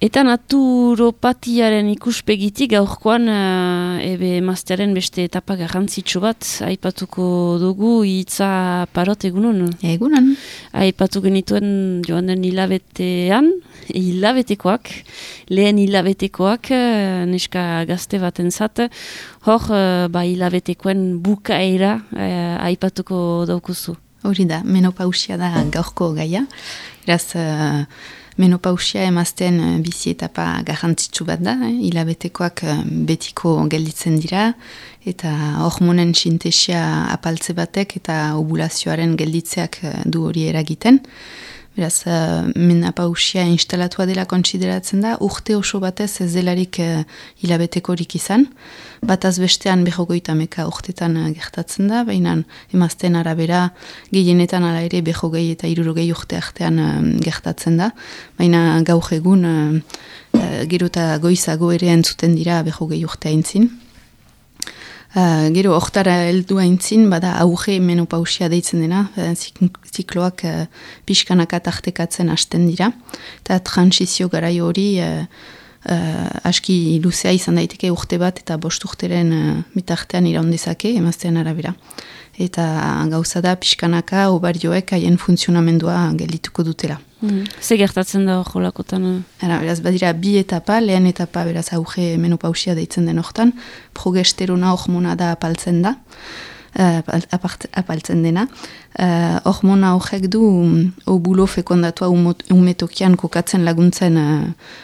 Eta naturopatiaren ikuspegitik gaurkoan emaztearen beste etapa garrantzitsu bat aipatuko dugu hitza Parot egunon. Egunon. Aipatu genituen joan den hilabetekoak, lehen hilabetekoak, neska gazte batentzat, hor hilabetekoen bukaera aipatuko daukuzu. Hori da, menopausia da gaurko gaia. Eraz, menopausia emazten bizi etapa garrantzitsu bat da, hilabetekoak betiko gelditzen dira, eta hormonen sintesia apaltze batek eta ovulazioaren gelditzeak du hori eragiten. Beraz, menopausia instalatua dela kontsideratzen da, urte oso batez ez delarik hilabetekorik izan. Bataz bestean 50 urtetan gertatzen da, baina emazten arabera gehienetan ala ere 50 eta 60 urte artean gertatzen da. Baina gaur egun gero eta goizago ere entzuten dira 50 urte aintzin. Gero hortara heldu aintzin, bada auge menopausia deitzen dena, zikloak pixkanaka tartekatzen hasten dira. Eta transizio garaio hori aski luzea izan daiteke urte bat eta 5 urteren mitartean iraundezake emaztean arabera. Eta gauza da pixkanaka obarioek haien funtzionamendua geldituko dutela. Ze gertatzen da hor lakotan? Beraz, badira bi etapa, lehen etapa beraz auge menopausia deitzen den hortan, progesterona hormona da apaltzen da, apaltzen dena. Hormona horrek du ovulo fekondatua umetokian kokatzen laguntzen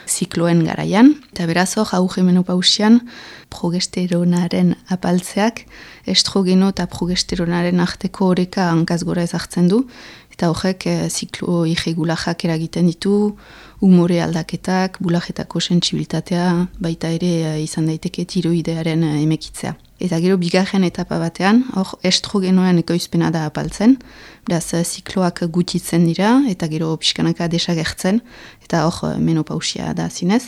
zikloen garaian. Eta beraz hor auge menopausian progesteronaren apaltzeak estrogeno eta progesteronaren arteko oreka hankaz gora ezartzen du. Eta horrek ziklo irregulajak eragiten ditu, umore aldaketak, bulajetako sentsibilitatea, baita ere izan daiteke tiroidearen emekitzea. Eta gero bigarren etapa batean, hor estrogenoen ekoizpena da apaltzen, beraz zikloak gutitzen dira, eta gero pixkanaka desagertzen, eta hor menopausia da zinez.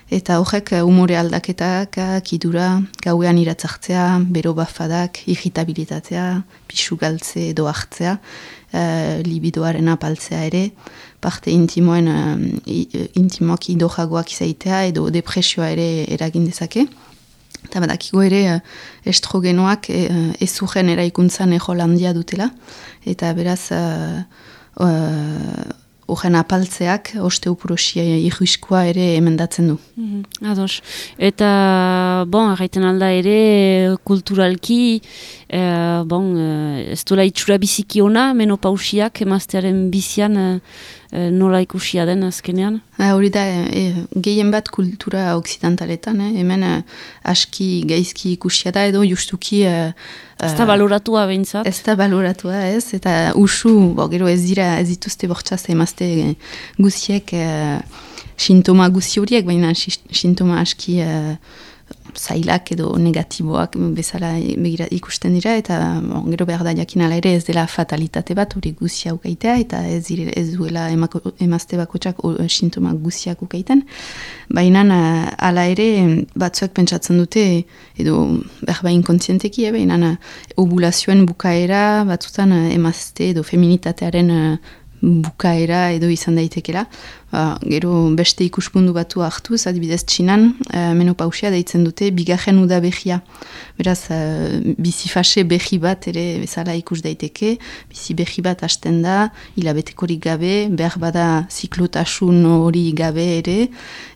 Eta horrek umore aldaketak, kidura, gauean iratzartzea, bero bafadak, irritabilitatea, pixu galtze edo hartzea, libidoaren apaltzea ere, parte intimoak idojagoak izaitea edo depresioa ere eragin dezake. Eta badakigo ere estrogenoak ezugen eraikuntzan Holandia dutela, eta beraz horren apaltzeak osteoporosia irriskoa ere emendatzen du. Ados. Eta, erraiten alda ere, kulturalki, ez duela itxura biziki ona, menopausiak emaztearen bizian nola ikusia den azkenean? Hori da, gehien bat kultura oksidantaletan, hemen aski gaizki ikusia da, edo justuki... Ez da baloratua behintzat? Ez da baloratua, ez, eta usu, gero ez dituzte bortxaz emazte guziek sintoma guzi horiek, baina sintoma aski zailak edo negatiboak bezala ikusten dira, eta gero behar da jakin ala ere ez dela fatalitate bat hori guzia ukaitea, eta ez duela emazte bakotxak sintoma guziak ukaiten. Baina ala ere batzuek pentsatzen dute, edo behar bain kontzienteki, baina ovulazioen bukaera batzutan emazte edo feminitatearen bukaera edo izan daitekela. Gero beste ikuspundu batu hartuz, adibidez Txinan, menopausia deitzen dute bigarren uda behia. Beraz, bizi fase behi bat ere bezala ikus daiteke, bizi behi bat hasten da, hilabetekorik gabe, behar bada ziklotasun hori gabe ere,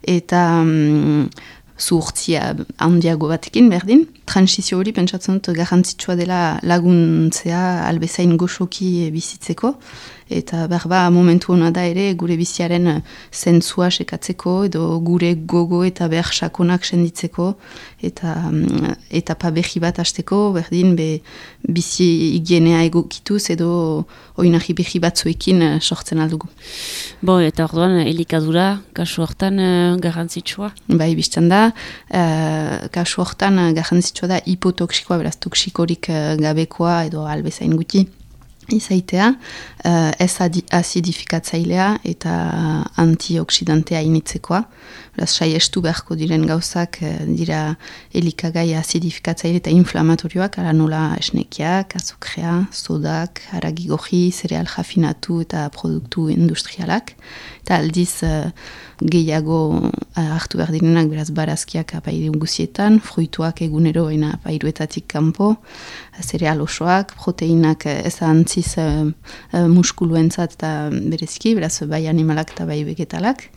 eta zuhurtzia handiago batekin berdin. Transizio hori pentsatzen dut garrantzitsua dela laguntzea albezain goxoki bizitzeko, eta berba momentu hona da ere gure biziaren zentzua sekatzeko, edo gure gogo eta behar sakonak senditzeko, eta etapa behi bat hasteko, berdin bizi higienea egokituz edo oinarri behi batzuekin sortzen aldugu. Eta orduan elikadura, kasu hortan garrantzitsua? Bai, biztan da, kasu hortan garrantzitsua da hipotoksikoa, beraz toksikorik gabekoa edo albezain guti. izaitea, ez azidifikatzailea eta antioksidantea initzekoa. Beraz, saiestu beharko diren gauzak dira elikagai azidifikatzaile eta inflamatorioak, ara nola esnekiak, azukrea, sodak, haragi goji, zereal jafinatu eta produktu industrialak. Eta aldiz gehiago hartu behar direnak, beraz, barazkiak apairu guzietan, fruituak egunero ena apairuetatik kanpo, zereal osoak, proteinak ez antziz muskuluentzat eta berezki, beraz, bai animalak eta bai vegetalak.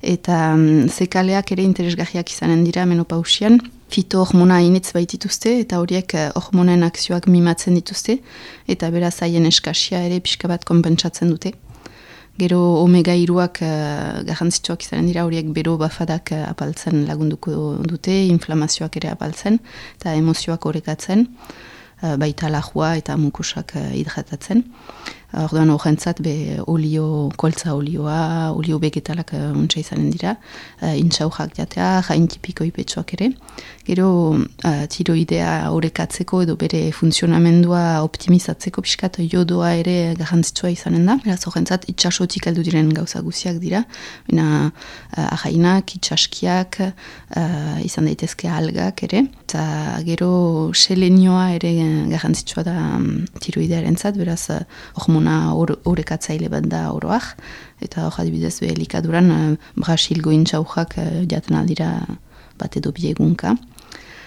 Eta zekaleak ere interesgarriak izanen dira menopausian. Fitohormona initz baitituzte eta horiek hormonen akzioak mimatzen dituzte eta beraz haien eskasia ere pixka bat konpentsatzen dute. Gero omega-3ak garrantzitsuak izanen dira, horiek bero bafadak apaltzen lagunduko dute, inflamazioak ere apaltzen eta emozioak orekatzen, baita lajua eta mukusak hidratatzen. Orduan horrentzat koltza olioa, olio vegetalak untsa izanen dira, intxaujak jatea, jaintipiko ipetsuak ere. Gero tiroidea orekatzeko edo bere funtzionamendua optimizatzeko pixkat jodoa ere garrantzitsua izanen da. Beraz horrentzat itxasotik heldu diren gauza guziak dira, baina ahainak, itxaskiak, izan daitezke algak ere. Eta gero selenioa ere garrantzitsua da tiroidearentzat, beraz orekatzaile bat da oroak, eta hor adibidez elikaduran Brasilgo intxaujak jaten aldira bat edo biegunka.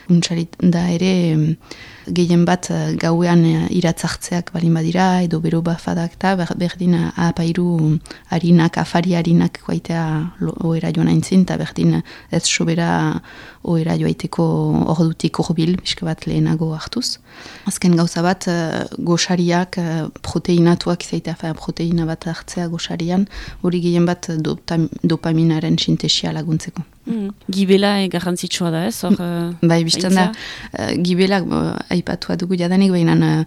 Untsarit da ere gehien bat gauean iratzartzeak balin badira, edo bero bafadak eta berdin apairu harinak, afari harinak guaitea oera joan aintzin, eta berdin ez sobera oera joaiteko ordutik orbil, pixka bat lehenago hartuz. Azken gauza bat, goxariak, proteinatuak izaitea, proteina bat hartzea goxarian, hori gehien bat dopaminaren sintesia laguntzeko. Gibela garrantzitsua da ez? Bai, biztan da, gibelak aipatua dugu jadanik, baina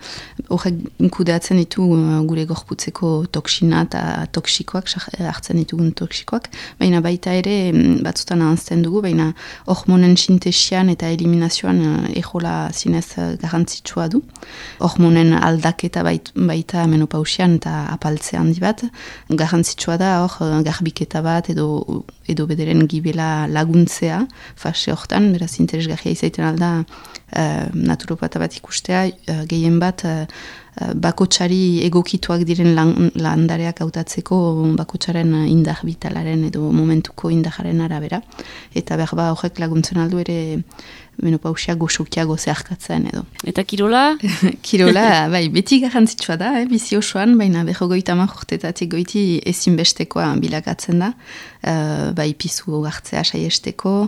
horrek kudeatzen ditu gure gorputzeko toksina eta toksikoak, hartzen ditugun toksikoak, baina baita ere batzutan ahazten dugu, baina hormonen sintesian eta eliminazioan ejola zinez garrantzitsua du. Hormonen aldaketa baita menopausian eta apaltzea handi bat, garrantzitsua da hor garbiketa bat edo bederen gibela laguntzea fase hortan, beraz interesgarria izaiten alda naturopata bat ikustea, gehien bat bakotsari egokituak diren landareak hautatzeko bakotsaren indar vitalaren edo momentuko indararen arabera, eta behar horrek laguntzen aldu ere menopausia goxokiago zeharkatzen edo. Eta kirola? Kirola, bai, beti garrantzitsua da, bizi osoan, baina 50 urtetatik goiti ezinbestekoa bilakatzen da, bai pizu hartzea saiesteko,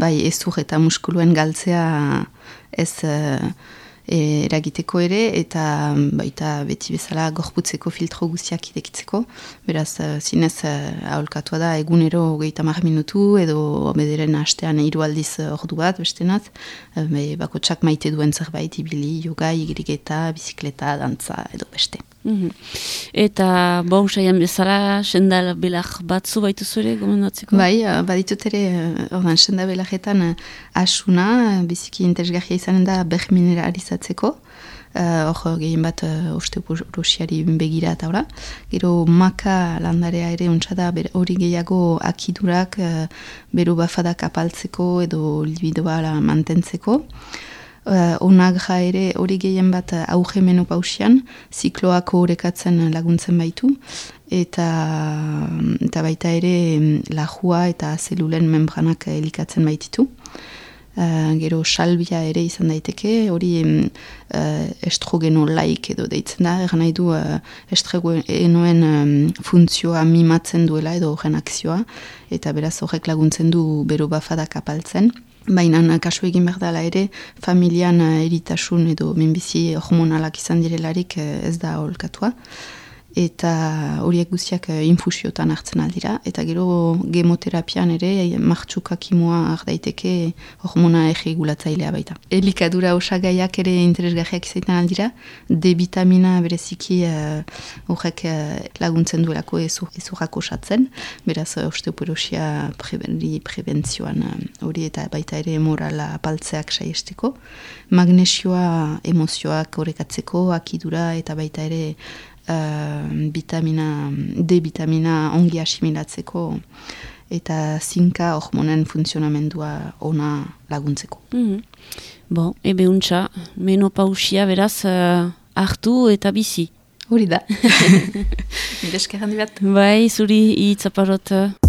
bai ezur eta muskuluen galtzea ez eragiteko ere, eta baita beti bezala gorputzeko filtro guztiak irekitzeko. Beraz, zinez aholkatua da egunero 30 minutu edo bederen hastean 3 aldiz ordu bat bestenat, bakotsak maite duen zerbait ibili, yoga, igriketa, bizikleta, dantza edo beste. Eta bon saian bezala sendal belak batzu baitu zure gomendatzeko? Bai, baditut ere sendal belaketan asuna, biziki interesgarria izanen da bermineralizatzeko. Hor gehien bat osteoporosiari begira eta ora. Gero maka landarea ere untsa hori gehiago akidurak bero bafadak apaltzeko edo libidoa mantentzeko. Onagra ere hori gehien bat auge menopausian, zikloak orekatzen laguntzen baitu, eta baita ere lajua eta zelulen membranak elikatzen baititu. Gero salbia ere izan daiteke, hori estrogeno-laik edo deitzen da, eran nahi du estrogenoen funtzioa mimatzen duela edo horren akzioa, eta beraz horrek laguntzen du bero bafadak apaltzen. Baina kasu egin behar dela ere, familian eritasun edo minbizi hormonalak izan direlarik ez da aholkatua. eta horiek guztiak infusiotan hartzen aldira, eta gero gemoterapian ere martxuka kimua ardaiteke hormona erregulatzailea baita. Elikadura osagaiak ere interesgarriak izaiten aldira, D-vitamina bereziki horrek laguntzen duelako ezurrak osatzen, beraz osteoporosia prebentzioan hori eta baita ere morala apaltzeak saiesteko, magnesioa emozioak horrekatzeko, akidura eta baita ere D-vitamina ongi asimilatzeko eta zinka hormonen funtzionamendua ona laguntzeko. Bon, ebe untxa, menopausia beraz hartu eta bizi. Hori da. Mire eskerran dibat. Bai, zuri hitzaparot.